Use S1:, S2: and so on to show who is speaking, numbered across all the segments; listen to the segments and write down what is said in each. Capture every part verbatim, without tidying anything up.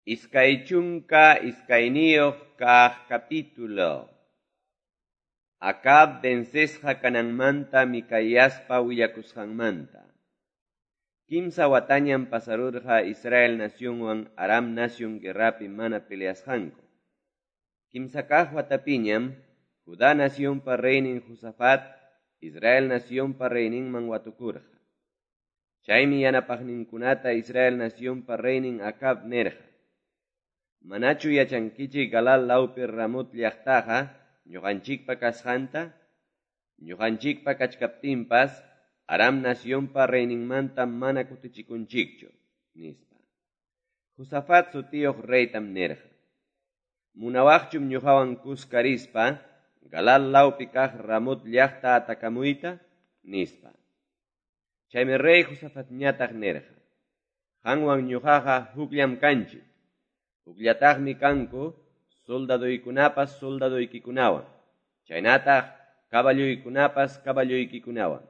S1: Iskay chunka iskayniyuq kaq capítulo. Acab vencesqa kananmanta Micaiaspa willakusqanmanta. Kimsa watañam pasarurqa Israel nacionwan Aram nacion guerrapi mana peleasqanku. Kimsa kaq watapiñam Judá nacionpa reynin Josafat Israel nacionpa reyninman watukurqa. Chaymi yanapaqninkunata Israel nacionpa reynin Acab nirqa: Manachu yachankichik Galaad lawpi Ramot llaqtaqa ñuqanchikpa kasqanta? Ñuqanchikpa kachkaptinpas Aram nacionpa reyninmanta mana kutichikunchikchu, nispa. Josafat sutiyuq reytam nirqa: Munawaqchum ñuqawan kuska rispa Galaad lawpi kaq Ramot llaqta atakamuyta, nispa. Chaymi rey Josafatñataq nirqa: Qanwan ñuqaqa hukllam kanchik. Hukllataqmi kanku soldaduykunapas soldaduykikunawan, chaynataq caballuykunapas caballuykikunawan.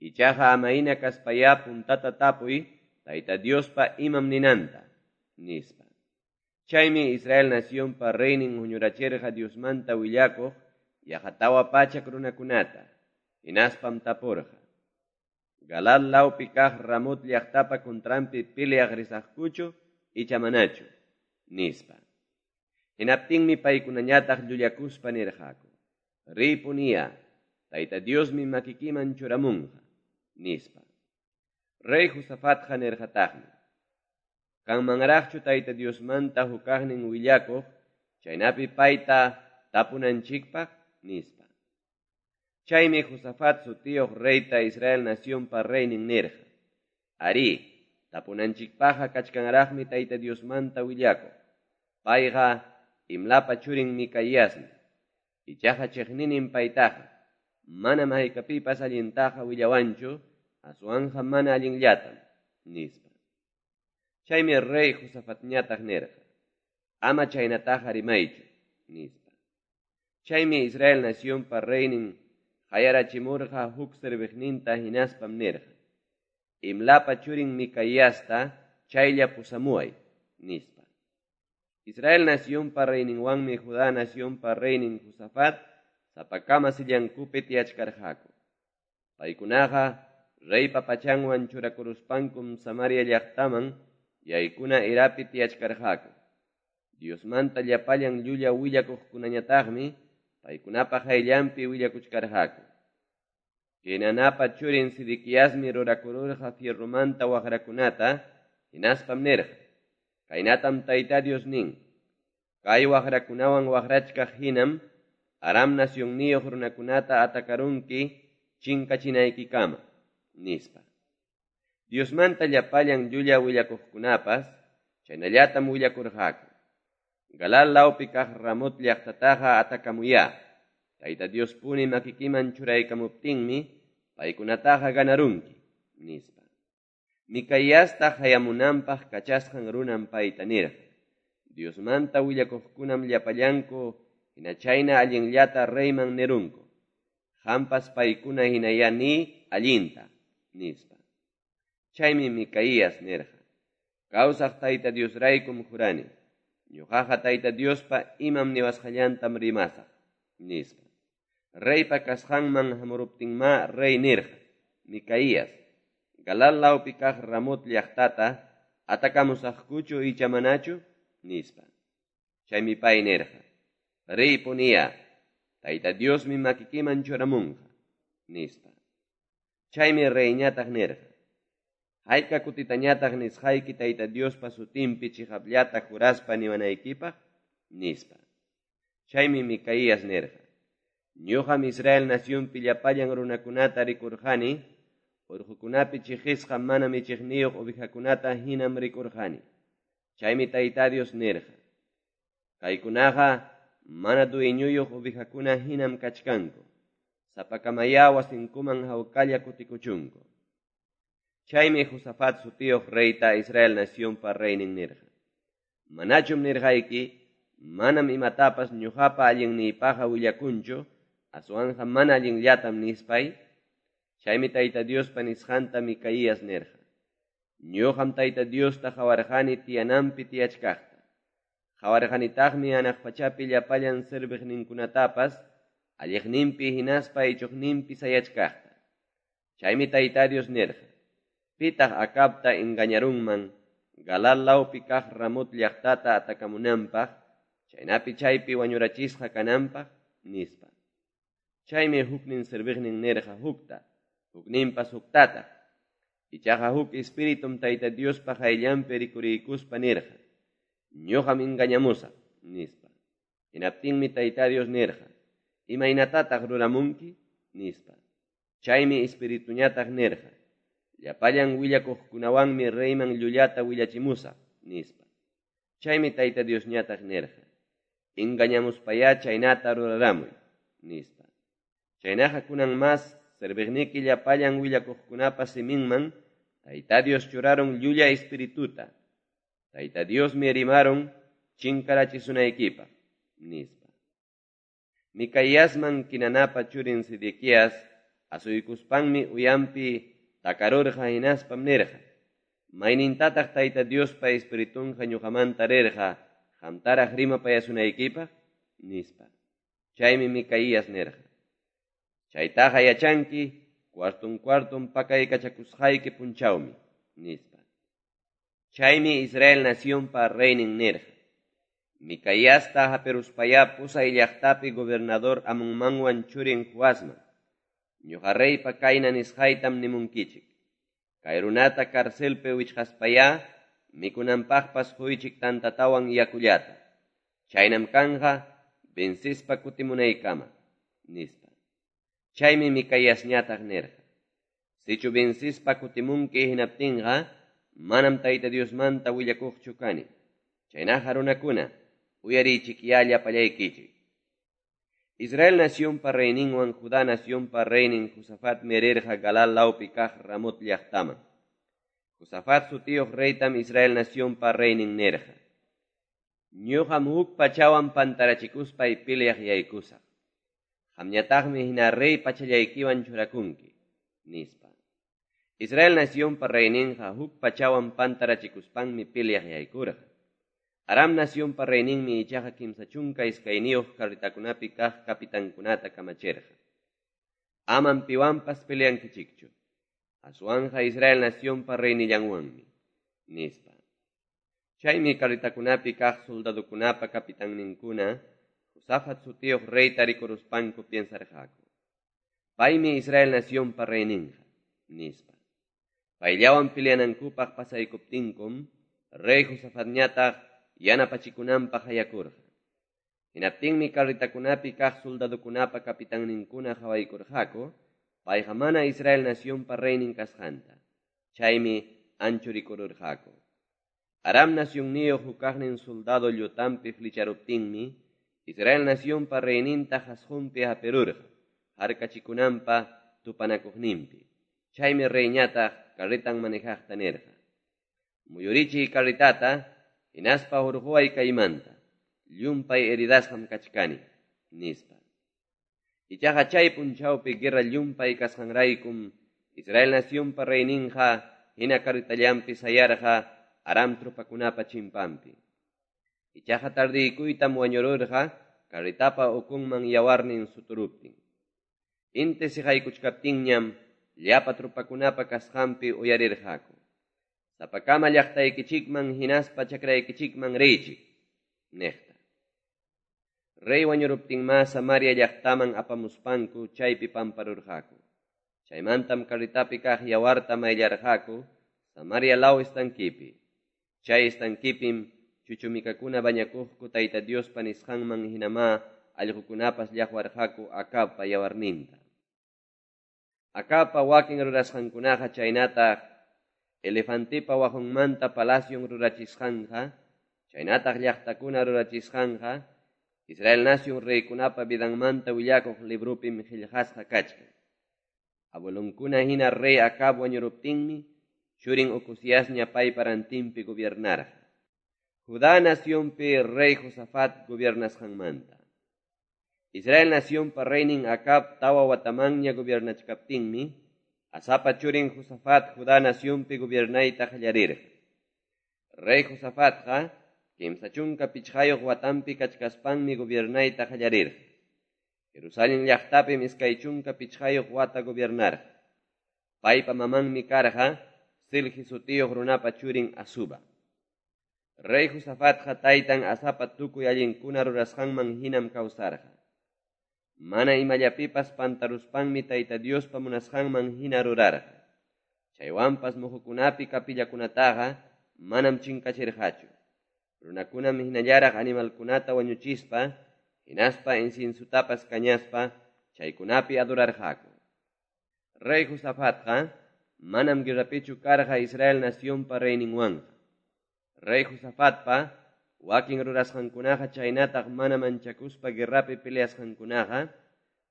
S1: Ichaqa amayna kaspayá puntata tapuy Tayta Diospa imam ninanta, nispa. Chaymi Israel nacionpa reynin huñurachirqa Diosmanta willakuq yaqa tawa pachak runakunata, hinaspam tapurqa: Galaad lawpi kaq Ramot llaqtapa contranpi peleaq risaqkuchu icha manachu, nispa. Hinaptinmi paykunañataq llullakuspa nirqaku: Riypuniya, Tayta Diosmi makikiman churamunqa, nispa. Rey Josafatqa nirqataqmi: Kanmanraqchu Tayta Diosmanta hukaqnin willakuq, chaynapi payta tapunanchikpaq, nispa. Chaymi Josafat sutiyuq reyta Israel nacionpa reynin nirqa: Arí, tapunanchikpaqqa kachkanraqmi Tayta Diosmanta willakuq. Payqa Imlapa churin Micaiasmi. Ichaqa chiqninin paytaqa, manam haykapipas allintaqa willawanchu, aswanqa mana allinllatam, nispa. Chaymi rey Josafatñataq nirqa: Ama chaynataqa rimaychu, nispa. Chaymi Israel nacionpa reynin qayarachimurqa huk serviqninta hinaspam nirqa: Imlapa churin Micaiasta chaylla pusamuway, nispa. Israel nacionpa reyninwanmi Judá nacionpa reynin Josafat sapakama sillankupi tiyachkarqaku. Paykunaqa reypa pachanwan churakuruspankum Samaria llaqtaman yaykuna erapi tiyachkarqaku. Diosmanta llapallan llulla willakuqkunañataqmi paykunapa qayllanpi willakuchkarqaku. Kenanapa churin Sedequiasmi rurakururqa fierromanta waqrakunata, hinaspam nirqa: Kaynatam Tayta Dios nin: Kay waqrakunawan waqrachkaq hinam Aram nacionniyuq runakunata atakarunki chinkachinaykikama, nispa. Diosmanta llapallan llulla willakuqkunapas chaynallatam willakurqaku: Galaad lawpi kaq Ramot llaqtataqa atakamuyá. Tayta Diospuni makikiman churaykamuptinmi paykunataqa ganarunki, nispa. Micaiasta hayamunanpaq kachasqan runan payta nirqa: Diosmanta willakuqkunam llapallanku hina chayna allinllata reyman nirunku. Qampas paykuna hinayá ni allinta, nispa. Chaymi Micaías nirqa: Kawsaq Tayta Diosraykum jurani, ñuqaqa Tayta Diospa imam niwasqallantam rimasaq, nispa. Reypa kasqanman hamuruptinma rey nirqa: Micaías, Galaad lawpi kaq Ramot llaqtata atakamusaqkuchu icha manachu, nispa. Chaymi pay nirqa: Riypuniya, Tayta Diosmi makikiman churamunqa, nispa. Chaymi reyñataq nirqa: Hayka kutitañataq nisqayki Tayta Diospa sutinpi chiqapllata juraspa niwanaykipaq, nispa. Chaymi Micaías nirqa: Ñuqam Israel nacionpi llapallan runakunata rikurqani, urqukunapi chiqisqa mana michiqniyuq ovejakunata hinam rikurqani. Chaymi Tayta Dios nirqa: Kaykunaqa mana dueñuyuq ovejakuna hinam kachkanku, sapakamayá wasinkuman hawkalla kutikuchunku. Chaymi Josafat sutiyuq reyta Israel nacionpa reynin nirqa: Manachum nirqayki, manam imatapas ñuqapa allinniypaqqa willakunchu, aswanqa mana allinllatam nispay. Chaymi Tayta Diospa nisqanta Micaías nirqa: Ñuqam Tayta Diosta qawarqani tiyananpi tiyachkaqta. Qawarqanitaqmi hanaq pachapi llapallan serviqninkunatapas alleqninpi hinaspa ichoqninpi sayachkaqta. Chaymi Tayta Dios nirqa: Pitaq Acabta engañarunman Galaad lawpi kaq Ramot llaqtata atakamunanpaq, chaynapi chaypi wañurachisqa kananpaq, nispa. Chaymi huknin serviqnin nirqa hukta, hukninpas huktataq. Ichaqa huk espiritum Tayta Diospa qayllanpi rikuriykuspa nirqa: Ñuqam engañamusaq, nispa. Hinaptinmi Tayta Dios nirqa: Imaynatataq ruramunki, nispa. Chaymi espirituñataq nirqa: Llapallan willakuqkunawanmi reyman llullata willachimusaq, nispa. Chaymi Tayta Diosñataq nirqa: Engañamuspayá chaynata ruraramuy, nispa. Chaynaqa kunan mas serviqniki llapallan willakuqkunapa siminman Tayta Dios churarun llulla espirituta. Tayta Diosmi rimarun chinkarachisunaykipaq, nispa. Micaíasman Quinanapa churin Sedequías asuykuspanmi uyanpi takarurqa hinaspam nirqa: Maynintataq Tayta Diospa espiritunqa ñuqamanta rirqa qamtaraq rimapayasunaykipaq, nispa. Chaymi Micaías nirqa: Chaytaqa yachanki cuarton cuarton pakaykachakusqayki punchawmi, nispa. Chaymi Israel nacionpa reynin nirqa: Micaiasta hapiruspayá pusay llaqtapi gobernador Amonmanwan churin Joasman. Ñuqa reypa kayna nisqaytam nimunkichik: Kay runata carcelpi wichqaspayá mikunanpaqpas quychik tantatawan yakullata. Chaynam kanqa vencispa kutimunaykama, nispa. Chaymi Micaiasñataq nirqa: Sichu vencispa kutimunki hinaptinqa manam Tayta Diosmanta willakuqchu kani. Chaynaqa runakuna, uyariychikyá llapallaykichik. Israel nacionpa reyninwan Judá nacionpa reynin Josafatmi rirqa Galaad lawpi kaq Ramot llaqtaman. Josafat sutiyuq reytam Israel nacionpa reynin nirqa: Ñuqam huk pachawan pantarachikuspay peleaq yaykusaq. Qamñataqmi hina rey pachallaykiwan churakunki, nispa. Israel nacionpa reyninqa huk pachawan pantarachikuspanmi peleaq yaykurqa. Aram nacionpa reyninmi ichaqa kimsa chunka iskayniyuq carretakunapi kaq capitankunata kamachirqa: Amam piwanpas peleankichikchu, aswanqa Israel nacionpa reynillanwanmi, nispa. Chaymi carretakunapi kaq soldadokunapa capitanninkuna Josafat sutiyuq reyta rikuruspanku piensarqaku: Paymi Israel nacionpa reyninqa, nispa. Payllawan peleanankupaq pasaykuptinkum, rey Josafatñataq yanapachikunanpaq hayakurqa. Hinaptinmi carretakunapi kaq soldadokunapa capitanninkuna qawaykurqaku payqa mana Israel nacionpa reynin kasqanta. Chaymi anchurikururqaku. Aram nacionniyuq hukaqnin soldado llutanpi flecharuptinmi Israel nacionpa reyninta qasqunpi hapirurqa harkachikunanpa tupanakuqninpi. Chaymi reyñataq carretan manejaqta nirqa: Muyurichiy carretata hinaspa hurquway kaymanta, llumpay heridasqam kachkani, nispa. Ichaqa chay punchawpi guerra llumpay kasqanraykum Israel nacionpa reyninqa hina carretallanpi sayarqa Aram tropakunapa chimpanpi. Ichaqa tardiykuytam wañururqa carretapa ukunman yawarnin suturuptin. Inti siqaykuchkaptinñam llapa tropakunapa kasqanpi uyarirqaku: Sapakama llaqtaykichikman hinaspa chakraykichikman riychik, niqta. Rey wañuruptinmá Samaria llaqtaman apamuspanku chaypi pamparurqaku. Chaymantam carretapi kaq yawarta mayllarqaku Samaria law estanquipi. Chay estanquipim chuchumikakuna bañakuqku Tayta Diospa nisqanman hinamá allqukunapas llaqwarqaku Acabpa yawarninta. Acabpa wakin rurasqankunaqa chaynataq elefantepa waqunmanta palacion rurachisqanqa, chaynataq llaqtakuna rurachisqanqa, Israel nacion reykunapa vidanmanta willakuq librupim qillqasqa kachkan. Abuelonkuna hina rey Acab wañuruptinmi, churin Ocozíasña paypa rantinpi gobiernarqa. Judá nacionpi rey Josafat gobiernasqanmanta. Israel nacionpa reynin Acab tawa watamanña gobiernachkaptinmi, Asapa churin Josafat Judá nacionpi gobiernayta qallarirqa. Rey Josafatqa kimsa chunka pichqayuq watanpi kachkaspanmi gobiernayta qallarirqa. Jerusalén llaqtapim iskay chunka pichqayuq wata gobiernarqa. Paypa mamanmi karqa Silhi sutiyuq runapa churin Azuba. Rey Josafatqa taytan Asapa tukuy allinkuna rurasqanman hinam kawsarqa. Mana imallapipas pantaruspanmi Tayta Diospa munasqanman hina rurarqa. Chaywanpas muhukunapi kapillakunataqa manam chinkachirqachu. Runakunam hinallaraq animalkunata wañuchispa, hinaspa inciensutapas kañaspa, chaykunapi adorarqaku. Rey Josafatqa manam guerrapichu karqa Israel nacionpa reyninwanqa. Rey Josafatpa wakin rurasqankunaqa chaynataq mana manchakuspa guerrapi peleasqankunaqa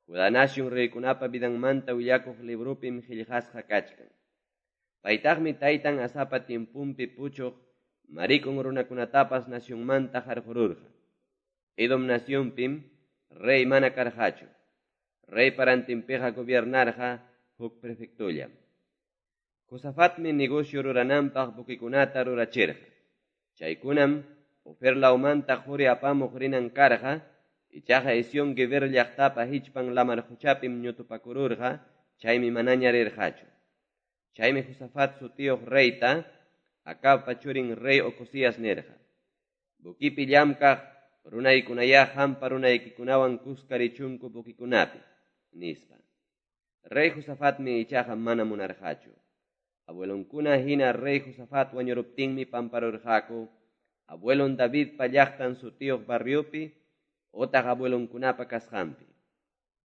S1: Judá nación reykunapa vidanmanta willakuq librupim qillqasqa kachkan. Paytaqmi taytan Asapa tiempunpi puchuq marikun runakunatapas nacionmanta qarqururqa. Edom nacionpim rey mana karqachu. Reypa rantinpiqa gobiernarqa huk prefectullam. Josafatmi negocio rurananpaq buquikunata rurachirqa. Chaykunam Ofer lawmanta quri apamuq rinan karqa, ichaqa Ezión Geber llaqtapa hichpan lamar quchapim ñutupakururqa, chaymi manaña rirqachu. Chaymi Josafat sutiyuq reyta, Acabpa churin rey Ocosías nirqa: Buquipi llamkaq runaykunayá qampa runaykikunawan kuska richunku buquikunapi, nispa. Rey Josafatmi ichaqa mana munarqachu. Abuelonkuna hina rey Josafat wañuruptinmi pamparurqaku abuelon Davidpa llaqtan sutiyuq barriopi otaq abuelonkunapa kasqanpi.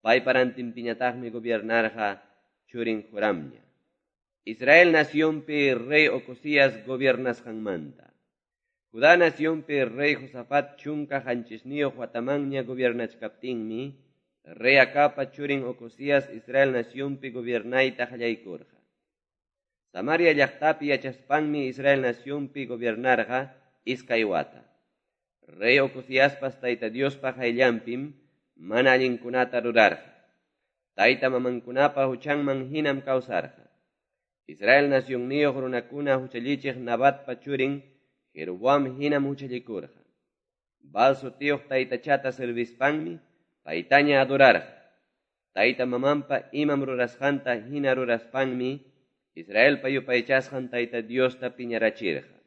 S1: Paypa rantinpiñataqmi gobiernarqa churin Joramña. Israel nacionpi rey Ocosías gobiernasqanmanta. Judá nacionpi rey Josafat chunka qanchisniyuq watamanña gobiernachkaptinmi, rey Acabpa churin Ocosías Israel nacionpi gobiernayta qallaykurqa. Samaria llaqtapi yachaspanmi Israel nacionpi gobiernarqa iskay wata. Rey Ocosíaspas Tayta Diospa qayllanpim mana allinkunata rurarqa. Tayta mamankunapa huchanman hinam kawsarqa. Israel nacionniyuq runakuna huchallichiq Nabatpa churin Jeroboam hinam huchallikurqa. Baal sutiyuq taytachata servispanmi paytaña adorarqa. Tayta mamanpa imam rurasqanta hina ruraspanmi Israelpa yupaychasqan Tayta Diosta piñarachirqa.